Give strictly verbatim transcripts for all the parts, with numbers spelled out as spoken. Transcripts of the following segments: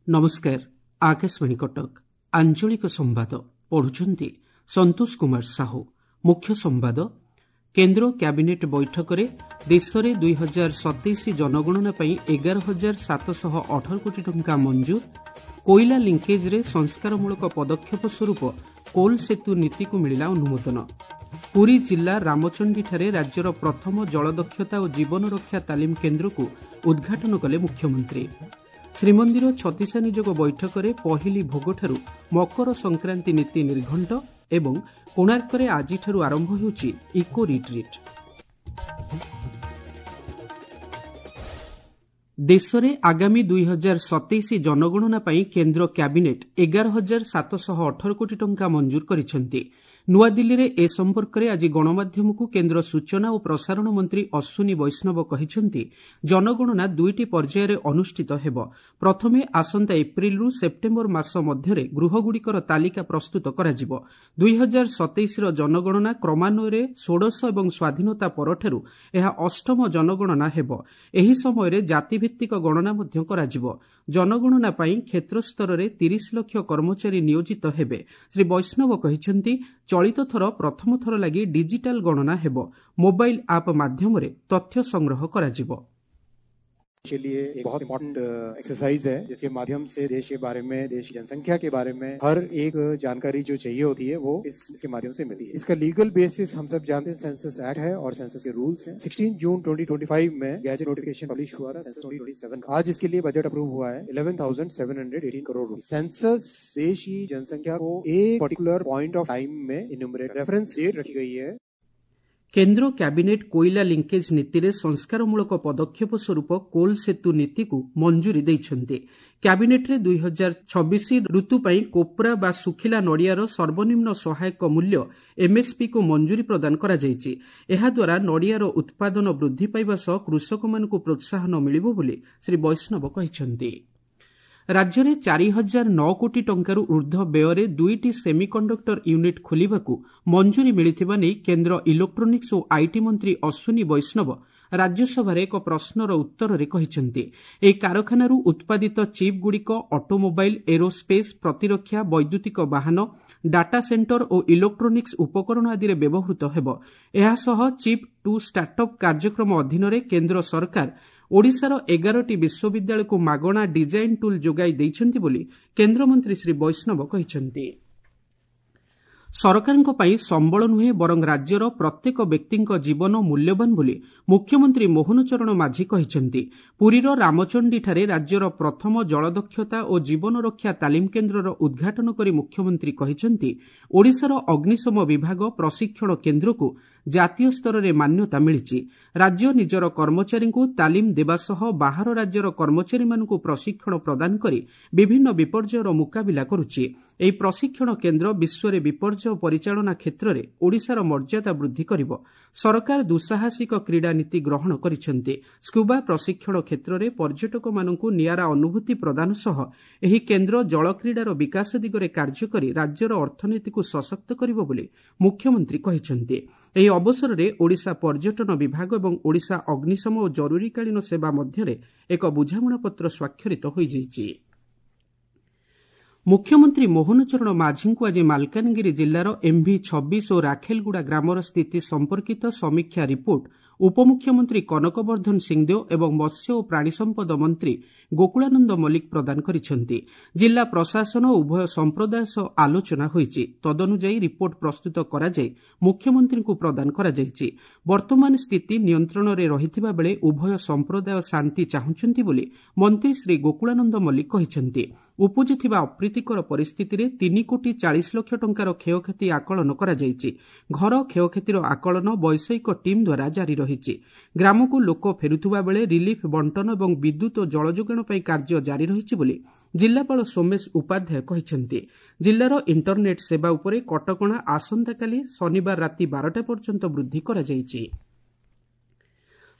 ନମସ୍କାର, ଆକାଶବାଣୀ କଟକ, ଆଞ୍ଚଳିକ ସମ୍ବାଦ ପଢୁଛନ୍ତି ସନ୍ତୋଷ କୁମାର ସାହୁ। ମୁଖ୍ୟ ସମ୍ବାଦ। କେନ୍ଦ୍ର କ୍ୟାବିନେଟ୍ ବୈଠକରେ ଦେଶରେ ଦୁଇ ହଜାର ସତେଇଶ ଜନଗଣନା ପାଇଁ ଏଗାର ହଜାର ସାତଶହ ଅଠର କୋଟି ଟଙ୍କା ମଞ୍ଜୁର। କୋଇଲା ଲିଙ୍କେଜ୍ରେ ସଂସ୍କାରମୂଳକ ପଦକ୍ଷେପ ସ୍ୱରୂପ କୋଲ୍ ସେତୁ ନୀତିକୁ ମିଳିଲା ଅନୁମୋଦନ। ପୁରୀ ଜିଲ୍ଲା ରାମଚଣ୍ଡୀଠାରେ ରାଜ୍ୟର ପ୍ରଥମ ଜଳଦକ୍ଷତା ଓ ଜୀବନରକ୍ଷା ତାଲିମ କେନ୍ଦ୍ରକୁ ଉଦ୍ଘାଟନ କଲେ ମୁଖ୍ୟମନ୍ତ୍ରୀ। ଶ୍ରୀମନ୍ଦିର ଛତିଶା ନିଯୋଗ ବୈଠକରେ ପହିଲି ଭୋଗଠାରୁ ମକର ସଂକ୍ରାନ୍ତି ନୀତି ନିର୍ଘଣ୍ଟ ଏବଂ କୋଣାର୍କରେ ଆଜିଠାରୁ ଆରମ୍ଭ ହେଉଛି ଇକୋ ରିଟ୍ରିଟ୍। ଦେଶରେ ଆଗାମୀ ଦୁଇ ହଜାର ସତେଇଶ ଜନଗଣନା ପାଇଁ କେନ୍ଦ୍ର କ୍ୟାବିନେଟ୍ ଏଗାର ହଜାର ସାତଶହ ଅଠର କୋଟି ଟଙ୍କା ମଞ୍ଜୁର କରିଛନ୍ତି। ନୂଆଦିଲ୍ଲୀରେ ଏ ସମ୍ପର୍କରେ ଆଜି ଗଣମାଧ୍ୟମକୁ କେନ୍ଦ୍ର ସୂଚନା ଓ ପ୍ରସାରଣ ମନ୍ତ୍ରୀ ଅଶ୍ୱିନୀ ବୈଷ୍ଣବ କହିଛନ୍ତି, ଜନଗଣନା ଦୁଇଟି ପର୍ଯ୍ୟାୟରେ ଅନୁଷ୍ଠିତ ହେବ। ପ୍ରଥମେ ଆସନ୍ତା ଏପ୍ରିଲରୁ ସେପ୍ଟେମ୍ବର ମାସ ମଧ୍ୟରେ ଗୃହଗୁଡ଼ିକର ତାଲିକା ପ୍ରସ୍ତୁତ କରାଯିବ। ଦୁଇ ହଜାର ସତେଇଶର ଜନଗଣନା କ୍ରମାନ୍ୱୟରେ ଷୋଡ଼ଶ ଏବଂ ସ୍ୱାଧୀନତା ପରଠାରୁ ଏହା ଅଷ୍ଟମ ଜନଗଣନା ହେବ। ଏହି ସମୟରେ ଜାତିଭିତ୍ତିକ ଗଣନା ମଧ୍ୟ କରାଯିବ। ଜନଗଣନା ପାଇଁ କ୍ଷେତ୍ରସ୍ତରରେ ତିରିଶ ଲକ୍ଷ କର୍ମଚାରୀ ନିୟୋଜିତ ହେବେ। ଶ୍ରୀ ବୈଷ୍ଣବ କହିଛନ୍ତି, ଚଳିତ ଥର ପ୍ରଥମ ଥର ଲାଗି ଡିଜିଟାଲ ଗଣନା ହେବ। ମୋବାଇଲ୍ ଆପ୍ ମାଧ୍ୟମରେ ତଥ୍ୟ ସଂଗ୍ରହ କରାଯିବ। के लिए एक बहुत इम्पोर्टेंट एक्सरसाइज है, जिसके माध्यम से देश के बारे में, देश की जनसंख्या के बारे में हर एक जानकारी जो चाहिए होती है वो इस, इसके माध्यम से मिलती है। इसका लीगल बेसिस हम सब जानते हैं, सेंसस एक्ट है और सेंसस के रूल्स हैं। सोलह जून दो हज़ार पच्चीस में गैजेट नोटिफिकेशन पब्लिश हुआ था सेंसस दो हज़ार सत्ताईस का। आज इसके लिए बजट अप्रूव हुआ है ग्यारह हज़ार सात सौ अठारह करोड़ रुपए। सेंसस देश की जनसंख्या को एक पर्टिकुलर पॉइंट ऑफ टाइम में इन्यूमरेट रेफरेंस डेट रखी गई है। କେନ୍ଦ୍ର କ୍ୟାବିନେଟ୍ କୋଇଲା ଲିଙ୍କେଜ୍ ନୀତିରେ ସଂସ୍କାରମୂଳକ ପଦକ୍ଷେପ ସ୍ୱରୂପ କୋଲ୍ ସେତୁ ନୀତିକୁ ମଞ୍ଜୁରୀ ଦେଇଛନ୍ତି। କ୍ୟାବିନେଟ୍ରେ ଦୁଇ ହଜାର ଛବିଶ ଋତୁ ପାଇଁ କୋପ୍ରା ବା ଶୁଖିଲା ନଡ଼ିଆର ସର୍ବନିମ୍ନ ସହାୟକ ମୂଲ୍ୟ ଏମ୍ଏସ୍ପିକୁ ମଞ୍ଜୁରୀ ପ୍ରଦାନ କରାଯାଇଛି। ଏହାଦ୍ୱାରା ନଡ଼ିଆର ଉତ୍ପାଦନ ବୃଦ୍ଧି ପାଇବା ସହ କୃଷକମାନଙ୍କୁ ପ୍ରୋତ୍ସାହନ ମିଳିବ ବୋଲି ଶ୍ରୀ ବୈଷ୍ଣବ କହିଛନ୍ତି। ରାଜ୍ୟରେ ଚାରି ହଜାର ନଅ କୋଟି ଟଙ୍କାରୁ ଊର୍ଦ୍ଧ୍ୱ ବ୍ୟୟରେ ଦୁଇଟି ସେମିକଣ୍ଡକ୍ଟର ୟୁନିଟ୍ ଖୋଲିବାକୁ ମଞ୍ଜୁରୀ ମିଳିଥିବା ନେଇ କେନ୍ଦ୍ର ଇଲେକ୍ଟ୍ରୋନିକ୍ସ ଓ IT ମନ୍ତ୍ରୀ ଅଶ୍ୱିନୀ ବୈଷ୍ଣବ ରାଜ୍ୟସଭାରେ ଏକ ପ୍ରଶ୍ନର ଉତ୍ତରରେ କହିଛନ୍ତି। ଏହି କାରଖାନାରୁ ଉତ୍ପାଦିତ ଚିପ୍ଗୁଡ଼ିକ ଅଟୋମୋବାଇଲ୍, ଏରୋସ୍ପେସ୍, ପ୍ରତିରକ୍ଷା, ବୈଦ୍ୟୁତିକ ବାହନ, ଡାଟା ସେଣ୍ଟର ଓ ଇଲେକ୍ଟ୍ରୋନିକ୍ସ ଉପକରଣ ଆଦିରେ ବ୍ୟବହୃତ ହେବ। ଏହାସହ ଚିପ୍ ଟୁ ଷ୍ଟାର୍ଟଅପ୍ କାର୍ଯ୍ୟକ୍ରମ ଅଧୀନରେ କେନ୍ଦ୍ର ସରକାର ଓଡ଼ିଶାର ଏଗାରଟି ବିଶ୍ୱବିଦ୍ୟାଳୟକୁ ମାଗଣା ଡିଜାଇନ୍ ଟୁଲ୍ ଯୋଗାଇ ଦେଇଛନ୍ତି ବୋଲି କେନ୍ଦ୍ରମନ୍ତ୍ରୀ ଶ୍ରୀ ବୈଷ୍ଣବ କହିଛନ୍ତି। ସରକାରଙ୍କ ପାଇଁ ସମ୍ବଳ ନୁହେଁ ବରଂ ରାଜ୍ୟର ପ୍ରତ୍ୟେକ ବ୍ୟକ୍ତିଙ୍କ ଜୀବନ ମୂଲ୍ୟବାନ ବୋଲି ମୁଖ୍ୟମନ୍ତ୍ରୀ ମୋହନ ଚରଣ ମାଝୀ କହିଛନ୍ତି। ପୁରୀର ରାମଚଣ୍ଡୀଠାରେ ରାଜ୍ୟର ପ୍ରଥମ ଜଳଦକ୍ଷତା ଓ ଜୀବନରକ୍ଷା ତାଲିମ କେନ୍ଦ୍ରର ଉଦ୍ଘାଟନ କରି ମୁଖ୍ୟମନ୍ତ୍ରୀ କହିଛନ୍ତି, ଓଡ଼ିଶାର ଅଗ୍ନିଶମ ବିଭାଗ ପ୍ରଶିକ୍ଷଣ କେନ୍ଦ୍ରକୁ ଜାତୀୟ ସ୍ତରରେ ମାନ୍ୟତା ମିଳିଛି। ରାଜ୍ୟ ନିଜର କର୍ମଚାରୀଙ୍କୁ ତାଲିମ ଦେବା ସହ ବାହାର ରାଜ୍ୟର କର୍ମଚାରୀମାନଙ୍କୁ ପ୍ରଶିକ୍ଷଣ ପ୍ରଦାନ କରି ବିଭିନ୍ନ ବିପର୍ଯ୍ୟୟର ମୁକାବିଲା କରୁଛି। ଏହି ପ୍ରଶିକ୍ଷଣ କେନ୍ଦ୍ର ବିଶ୍ୱରେ ବିପର୍ଯ୍ୟୟ ପରିଚାଳନା କ୍ଷେତ୍ରରେ ଓଡ଼ିଶାର ମର୍ଯ୍ୟାଦା ବୃଦ୍ଧି କରିବ। ସରକାର ଦୁଃସାହସିକ କ୍ରୀଡ଼ା ନୀତି ଗ୍ରହଣ କରିଛନ୍ତି। ସ୍କୁବା ପ୍ରଶିକ୍ଷଣ କ୍ଷେତ୍ରରେ ପର୍ଯ୍ୟଟକମାନଙ୍କୁ ନିଆରା ଅନୁଭୂତି ପ୍ରଦାନ ସହ ଏହି କେନ୍ଦ୍ର ଜଳକ୍ରୀଡ଼ାର ବିକାଶ ଦିଗରେ କାର୍ଯ୍ୟ କରି ରାଜ୍ୟର ଅର୍ଥନୀତିକୁ ସଶକ୍ତ କରିବ ବୋଲି ମୁଖ୍ୟମନ୍ତ୍ରୀ କହିଛନ୍ତି। ଏହି ଅବସରରେ ଓଡ଼ିଶା ପର୍ଯ୍ୟଟନ ବିଭାଗ ଏବଂ ଓଡ଼ିଶା ଅଗ୍ନିଶମ ଓ ଜରୁରୀକାଳୀନ ସେବା ମଧ୍ୟରେ ଏକ ବୁଝାମଣାପତ୍ର ସ୍ୱାକ୍ଷରିତ ହୋଇଯାଇଛି। ମୁଖ୍ୟମନ୍ତ୍ରୀ ମୋହନ ଚରଣ ମାଝୀଙ୍କୁ ଆଜି ମାଲକାନଗିରି ଜିଲ୍ଲାର ଏମ୍ଭି ଛବିଶ ଓ ରାଖେଲଗୁଡ଼ା ଗ୍ରାମର ସ୍ଥିତି ସମ୍ପର୍କିତ ସମୀକ୍ଷା ରିପୋର୍ଟ ଉପମୁଖ୍ୟମନ୍ତ୍ରୀ କନକବର୍ଦ୍ଧନ ସିଂଦେଓ ଏବଂ ମତ୍ସ୍ୟ ଓ ପ୍ରାଣୀସମ୍ପଦ ମନ୍ତ୍ରୀ ଗୋକୁଳାନନ୍ଦ ମଲ୍ଲିକ ପ୍ରଦାନ କରିଛନ୍ତି। ଜିଲ୍ଲା ପ୍ରଶାସନ ଓ ଉଭୟ ସମ୍ପ୍ରଦାୟ ସହ ଆଲୋଚନା ହୋଇଛି। ତଦନୁଯାୟୀ ରିପୋର୍ଟ ପ୍ରସ୍ତୁତ କରାଯାଇ ମୁଖ୍ୟମନ୍ତ୍ରୀଙ୍କୁ ପ୍ରଦାନ କରାଯାଇଛି। ବର୍ତ୍ତମାନ ସ୍ଥିତି ନିୟନ୍ତ୍ରଣରେ ରହିଥିବା ବେଳେ ଉଭୟ ସମ୍ପ୍ରଦାୟ ଶାନ୍ତି ଚାହୁଁଛନ୍ତି ବୋଲି ମନ୍ତ୍ରୀ ଶ୍ରୀ ଗୋକୁଳାନନ୍ଦ ମଲ୍ଲିକ କହିଛନ୍ତି। ଉପୁଜିଥିବା ଅପ୍ରୀତିକର ପରିସ୍ଥିତିରେ ତିନି କୋଟି ଚାଳିଶ ଲକ୍ଷ ଟଙ୍କାର କ୍ଷୟକ୍ଷତି ଆକଳନ କରାଯାଇଛି। ଘର କ୍ଷୟକ୍ଷତିର ଆକଳନ ବୈଷୟିକ ଟିମ୍ ଦ୍ୱାରା ଜାରି ରହିଛି। ଗ୍ରାମକୁ ଲୋକ ଫେରୁଥିବା ବେଳେ ରିଲିଫ୍ ବଣ୍ଟନ ଏବଂ ବିଦ୍ୟୁତ୍ ଓ ଜଳଯୋଗାଣ ପାଇଁ କାର୍ଯ୍ୟ ଜାରି ରହିଛି ବୋଲି ଜିଲ୍ଲାପାଳ ସୋମେଶ ଉପାଧ୍ୟାୟ କହିଛନ୍ତି। ଜିଲ୍ଲାର ଇଣ୍ଟରନେଟ୍ ସେବା ଉପରେ କଟକଣା ଆସନ୍ତାକାଲି ଶନିବାର ରାତି ବାରଟା ପର୍ଯ୍ୟନ୍ତ ବୃଦ୍ଧି କରାଯାଇଛି।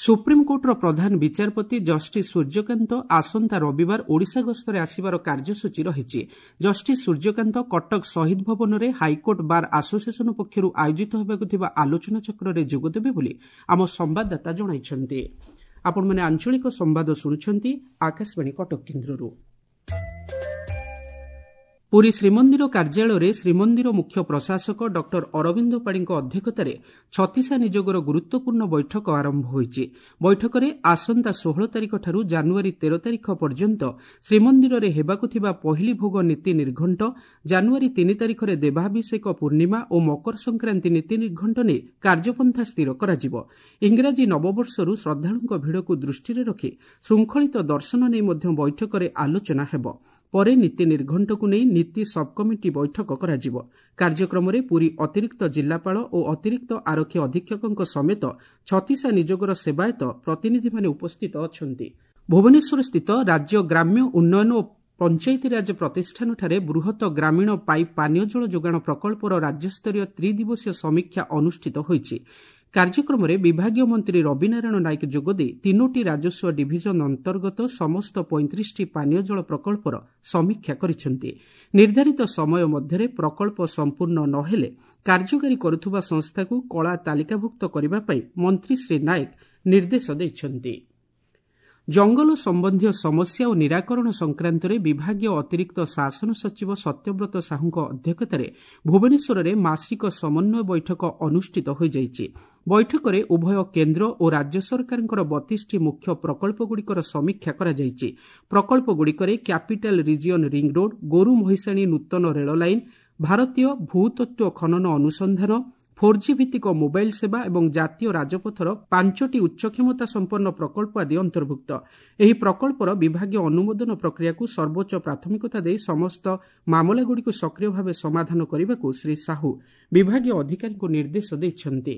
ସୁପ୍ରିମକୋର୍ଟର ପ୍ରଧାନ ବିଚାରପତି ଜଷ୍ଟିସ୍ ସୂର୍ଯ୍ୟକାନ୍ତ ଆସନ୍ତା ରବିବାର ଓଡ଼ିଶା ଗସ୍ତରେ ଆସିବାର କାର୍ଯ୍ୟସୂଚୀ ରହିଛି। ଜଷ୍ଟିସ୍ ସୂର୍ଯ୍ୟକାନ୍ତ କଟକ ଶହୀଦ ଭବନରେ ହାଇକୋର୍ଟ ବାର୍ ଆସୋସିଏସନ ପକ୍ଷରୁ ଆୟୋଜିତ ହେବାକୁ ଥିବା ଆଲୋଚନାଚକ୍ରରେ ଯୋଗଦେବେ ବୋଲି ଆମ ସମ୍ବାଦଦାତା ଜଣାଇଛନ୍ତି। ଆପଣମାନେ ଆଞ୍ଚଳିକ ସମ୍ବାଦ ଶୁଣୁଛନ୍ତି ଆକାଶବାଣୀ କଟକ କେନ୍ଦ୍ରରୁ। ପୁରୀ ଶ୍ରୀମନ୍ଦିର କାର୍ଯ୍ୟାଳୟରେ ଶ୍ରୀମନ୍ଦିର ମୁଖ୍ୟ ପ୍ରଶାସକ ଡକ୍ଟର ଅରବିନ୍ଦ ପାଢ଼ୀଙ୍କ ଅଧ୍ୟକ୍ଷତାରେ ଛତିଶା ନିଯୋଗର ଗୁରୁତ୍ୱପୂର୍ଣ୍ଣ ବୈଠକ ଆରମ୍ଭ ହୋଇଛି। ବୈଠକରେ ଆସନ୍ତା ଷୋହଳ ତାରିଖଠାରୁ ଜାନୁଆରୀ ତେର ତାରିଖ ପର୍ଯ୍ୟନ୍ତ ଶ୍ରୀମନ୍ଦିରରେ ହେବାକୁ ଥିବା ପହିଲି ଭୋଗ ନୀତି ନିର୍ଘଣ୍ଟ, ଜାନୁଆରୀ ତିନି ତାରିଖରେ ଦେବାଭିଷେକ ପୂର୍ଣ୍ଣିମା ଓ ମକର ସଂକ୍ରାନ୍ତି ନୀତି ନିର୍ଘଣ୍ଟ ନେଇ କାର୍ଯ୍ୟପନ୍ଥା ସ୍ଥିର କରାଯିବ। ଇଂରାଜୀ ନବବର୍ଷରୁ ଶ୍ରଦ୍ଧାଳୁଙ୍କ ଭିଡ଼କୁ ଦୃଷ୍ଟିରେ ରଖି ଶୃଙ୍ଖଳିତ ଦର୍ଶନ ନେଇ ମଧ୍ୟ ବୈଠକରେ ଆଲୋଚନା ହେବ। ପରେ ନୀତି ନିର୍ଘଣ୍ଟକୁ ନେଇ ନୀତି ସବ୍କମିଟି ବୈଠକ କରାଯିବ। କାର୍ଯ୍ୟକ୍ରମରେ ପୁରୀ ଅତିରିକ୍ତ ଜିଲ୍ଲାପାଳ ଓ ଅତିରିକ୍ତ ଆରକ୍ଷୀ ଅଧୀକ୍ଷକଙ୍କ ସମେତ ଛତିଶା ନିଯୋଗର ସେବାୟତ ପ୍ରତିନିଧିମାନେ ଉପସ୍ଥିତ ଅଛନ୍ତି। ଭୁବନେଶ୍ୱରସ୍ଥିତ ରାଜ୍ୟ ଗ୍ରାମ୍ୟ ଉନ୍ନୟନ ଓ ପଞ୍ଚାୟତିରାଜ ପ୍ରତିଷ୍ଠାନଠାରେ ବୃହତ ଗ୍ରାମୀଣ ପାଇପ୍ ପାନୀୟ ଜଳ ଯୋଗାଣ ପ୍ରକଳ୍ପର ରାଜ୍ୟସ୍ତରୀୟ ତ୍ରିଦିବସୀୟ ସମୀକ୍ଷା ଅନୁଷ୍ଠିତ ହୋଇଛି। କାର୍ଯ୍ୟକ୍ରମରେ ବିଭାଗୀୟ ମନ୍ତ୍ରୀ ରବିନାରାୟଣ ନାୟକ ଯୋଗଦେଇ ତିନୋଟି ରାଜସ୍ୱ ଡିଭିଜନ ଅନ୍ତର୍ଗତ ସମସ୍ତ ପଇଁତିରିଶଟି ପାନୀୟ ଜଳ ପ୍ରକଳ୍ପର ସମୀକ୍ଷା କରିଛନ୍ତି। ନିର୍ଦ୍ଧାରିତ ସମୟ ମଧ୍ୟରେ ପ୍ରକଳ୍ପ ସମ୍ପୂର୍ଣ୍ଣ ନ ହେଲେ କାର୍ଯ୍ୟକାରୀ କରୁଥିବା ସଂସ୍ଥାକୁ କଳା ତାଲିକାଭୁକ୍ତ କରିବା ପାଇଁ ମନ୍ତ୍ରୀ ଶ୍ରୀ ନାୟକ ନିର୍ଦ୍ଦେଶ ଦେଇଛନ୍ତି। ଜଙ୍ଗଲ ସମ୍ବନ୍ଧୀୟ ସମସ୍ୟା ଓ ନିରାକରଣ ସଂକ୍ରାନ୍ତରେ ବିଭାଗୀୟ ଅତିରିକ୍ତ ଶାସନ ସଚିବ ସତ୍ୟବ୍ରତ ସାହୁଙ୍କ ଅଧ୍ୟକ୍ଷତାରେ ଭୁବନେଶ୍ୱରରେ ମାସିକ ସମନ୍ୱୟ ବୈଠକ ଅନୁଷ୍ଠିତ ହୋଇଯାଇଛି। ବୈଠକରେ ଉଭୟ କେନ୍ଦ୍ର ଓ ରାଜ୍ୟ ସରକାରଙ୍କର ବତିଶଟି ମୁଖ୍ୟ ପ୍ରକଳ୍ପଗୁଡ଼ିକର ସମୀକ୍ଷା କରାଯାଇଛି। ପ୍ରକଳ୍ପଗୁଡ଼ିକରେ କ୍ୟାପିଟାଲ ରିଜିଅନ୍ ରିଂ ରୋଡ୍, ଗୋରୁ ମହିଷାଣୀ ନୂତନ ରେଳ ଲାଇନ୍, ଭାରତୀୟ ଭୂତତ୍ତ୍ୱ ଖନନ ଅନୁସନ୍ଧାନ, ଫୋର୍ ଜି ଭିତ୍ତିକ ମୋବାଇଲ ସେବା ଏବଂ ଜାତୀୟ ରାଜପଥର ପାଞ୍ଚଟି ଉଚ୍ଚ କ୍ଷମତା ସମ୍ପନ୍ନ ପ୍ରକଳ୍ପ ଆଦି ଅନ୍ତର୍ଭୁକ୍ତ। ଏହି ପ୍ରକଳ୍ପର ବିଭାଗୀୟ ଅନୁମୋଦନ ପ୍ରକ୍ରିୟାକୁ ସର୍ବୋଚ୍ଚ ପ୍ରାଥମିକତା ଦେଇ ସମସ୍ତ ମାମଲାଗୁଡ଼ିକୁ ସକ୍ରିୟ ଭାବେ ସମାଧାନ କରିବାକୁ ଶ୍ରୀ ସାହୁ ବିଭାଗୀୟ ଅଧିକାରୀଙ୍କୁ ନିର୍ଦ୍ଦେଶ ଦେଇଛନ୍ତି।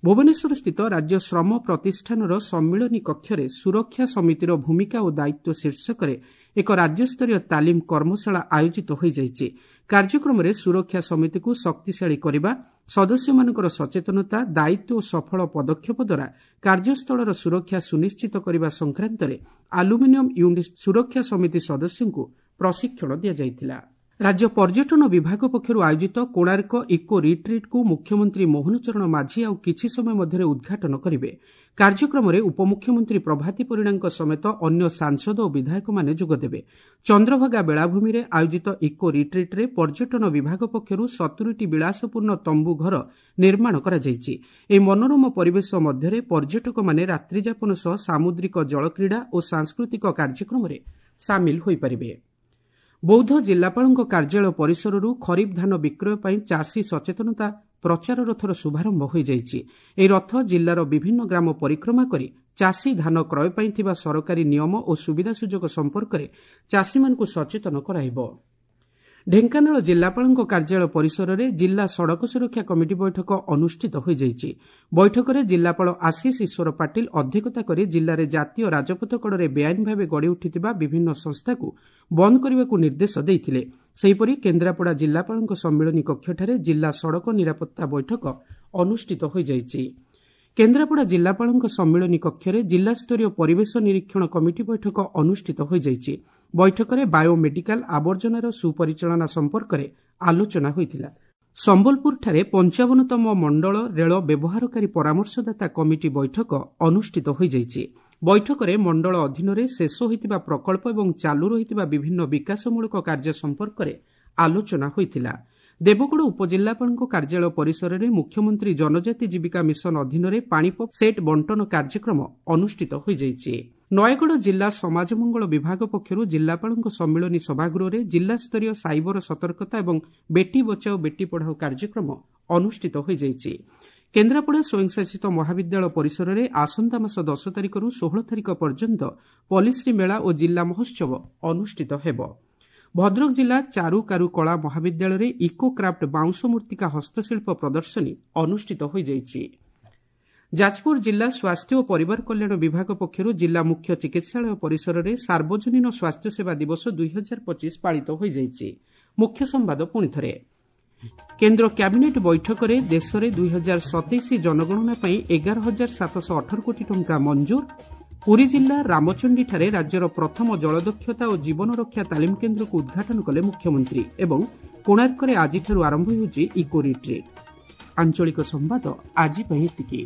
ଭୁବନେଶ୍ୱରସ୍ଥିତ ରାଜ୍ୟ ଶ୍ରମ ପ୍ରତିଷ୍ଠାନର ସମ୍ମିଳନୀ କକ୍ଷରେ ସୁରକ୍ଷା ସମିତିର ଭୂମିକା ଓ ଦାୟିତ୍ୱ ଶୀର୍ଷକରେ ଏକ ରାଜ୍ୟସ୍ତରୀୟ ତାଲିମ କର୍ମଶାଳା ଆୟୋଜିତ ହୋଇଯାଇଛି। କାର୍ଯ୍ୟକ୍ରମରେ ସୁରକ୍ଷା ସମିତିକୁ ଶକ୍ତିଶାଳୀ କରିବା, ସଦସ୍ୟମାନଙ୍କର ସଚେତନତା, ଦାୟିତ୍ୱ ଓ ସଫଳ ପଦକ୍ଷେପ ଦ୍ୱାରା କାର୍ଯ୍ୟସ୍ଥଳର ସୁରକ୍ଷା ସୁନିଶ୍ଚିତ କରିବା ସଂକ୍ରାନ୍ତରେ ଆଲୁମିନିୟମ ୟୁନିଟ୍ ସୁରକ୍ଷା ସମିତି ସଦସ୍ୟଙ୍କୁ ପ୍ରଶିକ୍ଷଣ ଦିଆଯାଇଥିଲା। ରାଜ୍ୟ ପର୍ଯ୍ୟଟନ ବିଭାଗ ପକ୍ଷରୁ ଆୟୋଜିତ କୋଣାର୍କ ଇକୋ ରିଟ୍ରିଟ୍କୁ ମୁଖ୍ୟମନ୍ତ୍ରୀ ମୋହନ ଚରଣ ମାଝୀ ଆଉ କିଛି ସମୟ ମଧ୍ୟରେ ଉଦ୍ଘାଟନ କରିବେ। କାର୍ଯ୍ୟକ୍ରମରେ ଉପମୁଖ୍ୟମନ୍ତ୍ରୀ ପ୍ରଭାତୀ ପରିଡ଼ାଙ୍କ ସମେତ ଅନ୍ୟ ସାଂସଦ ଓ ବିଧାୟକମାନେ ଯୋଗଦେବେ। ଚନ୍ଦ୍ରଭାଗା ବେଳାଭୂମିରେ ଆୟୋଜିତ ଇକୋ ରିଟ୍ରିଟ୍ରେ ପର୍ଯ୍ୟଟନ ବିଭାଗ ପକ୍ଷରୁ ସତୁରିଟି ବିଳାସପୂର୍ଣ୍ଣ ତମ୍ବୁ ଘର ନିର୍ମାଣ କରାଯାଇଛି। ଏହି ମନୋରମ ପରିବେଶ ମଧ୍ୟରେ ପର୍ଯ୍ୟଟକମାନେ ରାତ୍ରିଯାପନ ସହ ସାମୁଦ୍ରିକ ଜଳକ୍ରୀଡ଼ା ଓ ସାଂସ୍କୃତିକ କାର୍ଯ୍ୟକ୍ରମରେ ସାମିଲ ହୋଇପାରିବେ। ବୌଦ୍ଧ ଜିଲ୍ଲାପାଳଙ୍କ କାର୍ଯ୍ୟାଳୟ ପରିସରରୁ ଖରିଫ ଧାନ ବିକ୍ରୟ ପାଇଁ ଚାଷୀ ସଚେତନତା ପ୍ରଚାର ରଥର ଶୁଭାରମ୍ଭ ହୋଇଯାଇଛି। ଏହି ରଥ ଜିଲ୍ଲାର ବିଭିନ୍ନ ଗ୍ରାମ ପରିକ୍ରମା କରି ଚାଷୀ ଧାନ କ୍ରୟ ପାଇଁ ଥିବା ସରକାରୀ ନିୟମ ଓ ସୁବିଧା ସୁଯୋଗ ସମ୍ପର୍କରେ ଚାଷୀମାନଙ୍କୁ ସଚେତନ କରାଇବ। ଢେଙ୍କାନାଳ ଜିଲ୍ଲାପାଳଙ୍କ କାର୍ଯ୍ୟାଳୟ ପରିସରରେ ଜିଲ୍ଲା ସଡ଼କ ସୁରକ୍ଷା କମିଟି ବୈଠକ ଅନୁଷ୍ଠିତ ହୋଇଯାଇଛି। ବୈଠକରେ ଜିଲ୍ଲାପାଳ ଆଶିଷ ଈଶ୍ୱର ପାଟିଲ ଅଧ୍ୟକ୍ଷତା କରି ଜିଲ୍ଲାରେ ଜାତୀୟ ରାଜପଥ କଡ଼ରେ ବେଆଇନ ଭାବେ ଗଢ଼ି ଉଠିଥିବା ବିଭିନ୍ନ ସଂସ୍ଥାକୁ ବନ୍ଦ କରିବାକୁ ନିର୍ଦ୍ଦେଶ ଦେଇଥିଲେ। ସେହିପରି କେନ୍ଦ୍ରାପଡ଼ା ଜିଲ୍ଲାପାଳଙ୍କ ସମ୍ମିଳନୀ କକ୍ଷଠାରେ ଜିଲ୍ଲା ସଡ଼କ ନିରାପତ୍ତା ବୈଠକ ଅନୁଷ୍ଠିତ ହୋଇଯାଇଛି। କେନ୍ଦ୍ରାପଡ଼ା ଜିଲ୍ଲାପାଳଙ୍କ ସମ୍ମିଳନୀ କକ୍ଷରେ ଜିଲ୍ଲାସ୍ତରୀୟ ପରିବେଶ ନିରୀକ୍ଷଣ କମିଟି ବୈଠକ ଅନୁଷ୍ଠିତ ହୋଇଯାଇଛି। ବୈଠକରେ ବାୟୋମେଡିକାଲ ଆବର୍ଜନାର ସୁପରିଚାଳନା ସମ୍ପର୍କରେ ଆଲୋଚନା ହୋଇଥିଲା। ସମ୍ବଲପୁରଠାରେ ପଞ୍ଚାବନତମ ମଣ୍ଡଳ ରେଳ ବ୍ୟବହାରକାରୀ ପରାମର୍ଶଦାତା କମିଟି ବୈଠକ ଅନୁଷ୍ଠିତ ହୋଇଯାଇଛି। ବୈଠକରେ ମଣ୍ଡଳ ଅଧୀନରେ ଶେଷ ହୋଇଥିବା ପ୍ରକଳ୍ପ ଏବଂ ଚାଲୁ ରହିଥିବା ବିଭିନ୍ନ ବିକାଶମୂଳକ କାର୍ଯ୍ୟ ସମ୍ପର୍କରେ ଆଲୋଚନା ହୋଇଥିଲା। ଦେବଗଡ଼ ଉପଜିଲ୍ଲାପାଳଙ୍କ କାର୍ଯ୍ୟାଳୟ ପରିସରରେ ମୁଖ୍ୟମନ୍ତ୍ରୀ ଜନଜାତି ଜୀବିକା ମିଶନ ଅଧୀନରେ ପାଣିପମ୍ପ ସେଟ୍ ବଣ୍ଟନ କାର୍ଯ୍ୟକ୍ରମ ଅନୁଷ୍ଠିତ ହୋଇଯାଇଛି। ନୟାଗଡ଼ ଜିଲ୍ଲା ସମାଜ ମଙ୍ଗଳ ବିଭାଗ ପକ୍ଷରୁ ଜିଲ୍ଲାପାଳଙ୍କ ସମ୍ମିଳନୀ ସଭାଗୃହରେ ଜିଲ୍ଲାସ୍ତରୀୟ ସାଇବର ସତର୍କତା ଏବଂ ବେଟି ବଚାଓ ବେଟି ପଢ଼ାଓ କାର୍ଯ୍ୟକ୍ରମ ଅନୁଷ୍ଠିତ ହୋଇଯାଇଛି। କେନ୍ଦ୍ରାପଡ଼ା ସ୍ୱୟଂଶାସିତ ମହାବିଦ୍ୟାଳୟ ପରିସରରେ ଆସନ୍ତା ମାସ ଦଶ ତାରିଖରୁ ଷୋହଳ ତାରିଖ ପର୍ଯ୍ୟନ୍ତ ପଲିଶ୍ରୀ ମେଳା ଓ ଜିଲ୍ଲା ମହୋତ୍ସବ ଅନୁଷ୍ଠିତ ହେବ। ଭଦ୍ରକ ଜିଲ୍ଲା ଚାରୁକାରୁ କଳା ମହାବିଦ୍ୟାଳୟରେ ଇକୋ କ୍ରାଫ୍ଟ ବାଉଁଶ ମୂର୍ତ୍ତିକା ହସ୍ତଶିଳ୍ପ ପ୍ରଦର୍ଶନୀ ଅନୁଷ୍ଠିତ ହୋଇଯାଇଛି। ଯାଜପୁର ଜିଲ୍ଲା ସ୍ୱାସ୍ଥ୍ୟ ଓ ପରିବାର କଲ୍ୟାଣ ବିଭାଗ ପକ୍ଷରୁ ଜିଲ୍ଲା ମୁଖ୍ୟ ଚିକିତ୍ସାଳୟ ପରିସରରେ ସାର୍ବଜନୀନ ସ୍ୱାସ୍ଥ୍ୟସେବା ଦିବସ ଦୁଇ ହଜାର ପଚିଶ ପାଳିତ ହୋଇଯାଇଛି। ମୁଖ୍ୟ ସମ୍ବାଦ ପୁଣିଥରେ। କେନ୍ଦ୍ର କ୍ୟାବିନେଟ୍ ବୈଠକରେ ଦେଶରେ ଦୁଇ ହଜାର ସତେଇଶ ଜନଗଣନା ପାଇଁ ଏଗାର ହଜାର ସାତଶହ ଅଠର କୋଟି ଟଙ୍କା ମଞ୍ଜୁର। ପୁରୀ ଜିଲ୍ଲା ରାମଚଣ୍ଡୀଠାରେ ରାଜ୍ୟର ପ୍ରଥମ ଜଳଦକ୍ଷତା ଓ ଜୀବନରକ୍ଷା ତାଲିମ କେନ୍ଦ୍ରକୁ ଉଦ୍ଘାଟନ କଲେ ମୁଖ୍ୟମନ୍ତ୍ରୀ। ଏବଂ କୋଣାର୍କରେ ଆଜିଠାରୁ ଆରମ୍ଭ ହେଉଛି ଇକୋ ରିଟ୍ରିଟ୍। ଆଞ୍ଚଳିକ ସମ୍ବାଦ ଆଜି ପାଇଁ ଏତିକି।